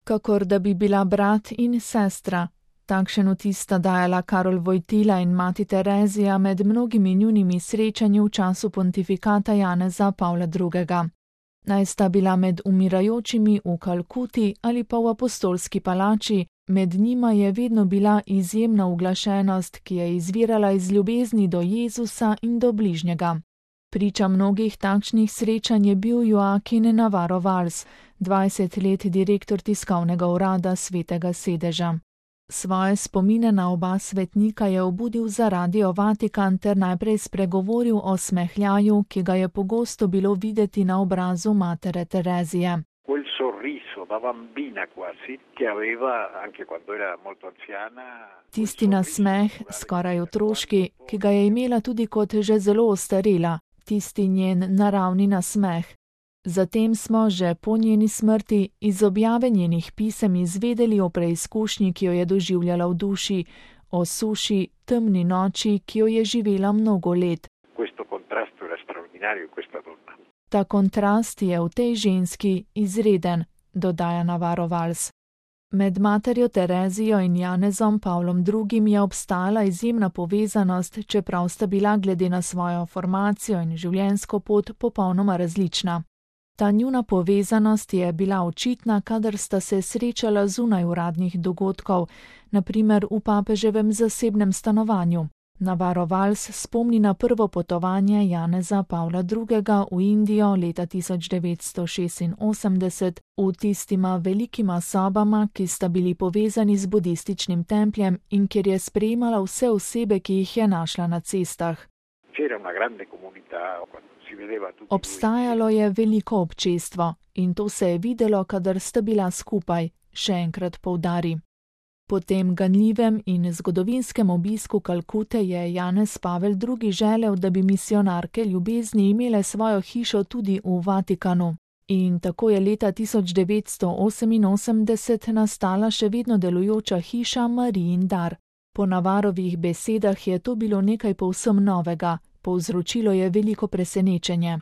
kakor da bi bila brat in sestra. Takšen vtis sta dajala Karol Wojtyla in mati Terezija med mnogimi njunimi srečanji v času pontifikata Janeza Pavla II. Naj sta bila med umirajočimi v Kalkuti ali pa v apostolski palači, med njima je vedno bila izjemna uglašenost, ki je izvirala iz ljubezni do Jezusa in do bližnjega. Priča mnogih takšnih srečanj je bil Joaquin Navarro Valls, 20 let direktor tiskovnega urada Svetega sedeža. Svoje spomine na oba svetnika je obudil za Radio Vatikan ter najprej spregovoril o smehljaju, ki ga je pogosto bilo videti na obrazu matere Terezije. Tisti nasmeh, skoraj otroški, ki ga je imela tudi kot že zelo ostarela, tisti njen naravni nasmeh. Zatem smo že po njeni smrti iz objave njenih pisem izvedeli o preizkušnji, ki jo je doživljala v duši, o suši, temni noči, ki jo je živela mnogo let. Ta kontrast je v tej ženski izreden, dodaja Navarro Valls. Med materjo Terezijo in Janezom Pavlom II. Je obstajala izjemna povezanost, čeprav sta bila glede na svojo formacijo in življenjsko pot popolnoma različna. Ta njuna povezanost je bila očitna, kadar sta se srečala zunaj uradnih dogodkov, na primer v papeževem zasebnem stanovanju. Navarro Valls spomni na prvo potovanje Janeza Pavla II. V Indijo leta 1986 v tistima velikima sobama, ki sta bili povezani z budističnim templjem in kjer je sprejemala vse osebe, ki jih je našla na cestah. Obstajalo je veliko občestvo in to se je videlo, kadar sta bila skupaj, še enkrat poudari. Po tem ganljivem in zgodovinskem obisku Kalkute je Janez Pavel II. Želel, da bi misionarke ljubezni imele svojo hišo tudi v Vatikanu. In tako je leta 1988 nastala še vedno delujoča hiša Marijin dar. Po Navarrovih besedah je to bilo nekaj povsem novega, povzročilo je veliko presenečenje.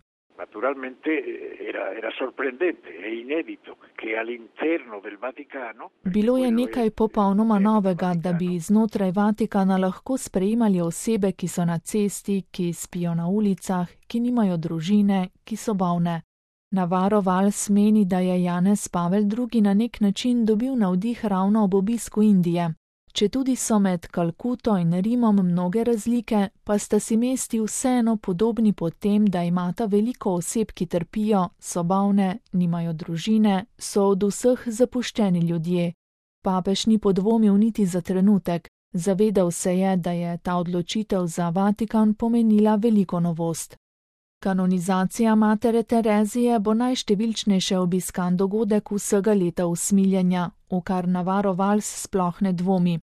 Bilo je nekaj popolnoma novega, da bi znotraj Vatikana lahko sprejemali osebe, ki so na cesti, ki spijo na ulicah, ki nimajo družine, ki so bolne. Navarro Valls meni, da je Janez Pavel II. Na nek način dobil navdih ravno ob obisku Indije. Četudi so med Kalkuto in Rimom mnoge razlike, pa sta si mesti vseeno podobni po tem, da imata veliko oseb, ki trpijo, so bolne, nimajo družine, so od vseh zapuščeni ljudje. Papež ni podvomil niti za trenutek, zavedal se je, da je ta odločitev za Vatikan pomenila veliko novost. Kanonizacija matere Terezije bo najštevilčnejše obiskan dogodek vsega leta usmiljenja, v kar Navarro Valls sploh ne dvomi.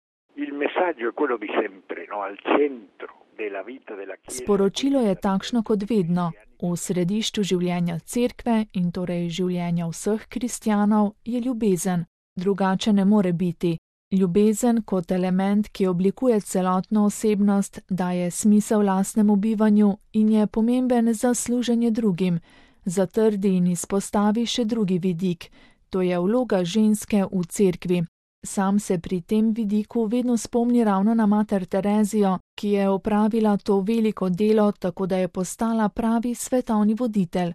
Sporočilo je takšno kot vedno. V središču življenja cerkve in torej življenja vseh kristjanov je ljubezen. Drugače ne more biti. Ljubezen kot element, ki oblikuje celotno osebnost, daje smisel lastnemu bivanju in je pomemben za služenje drugim. Zatrdi in izpostavi še drugi vidik. To je vloga ženske v cerkvi. Sam se pri tem vidiku vedno spomni ravno na mater Terezijo, ki je opravila to veliko delo, tako da je postala pravi svetovni voditelj.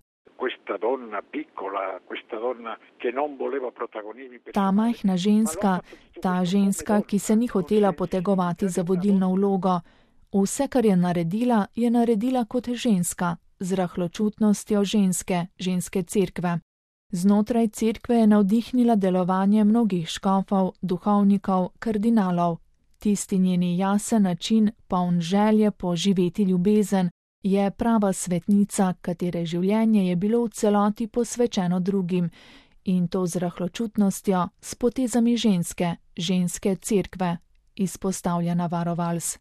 Ta majhna ženska, ta ženska, ki se ni hotela potegovati za vodilno vlogo. Vse, kar je naredila kot ženska, z rahločutnostjo ženske cerkve. Znotraj cerkve je navdihnila delovanje mnogih škofov, duhovnikov, kardinalov. Tisti njeni jasen način, poln želje po živeti ljubezen, je prava svetnica, katere življenje je bilo v celoti posvečeno drugim, in to z rahločutnostjo, s potezami ženske cerkve, izpostavlja Navarro Valls.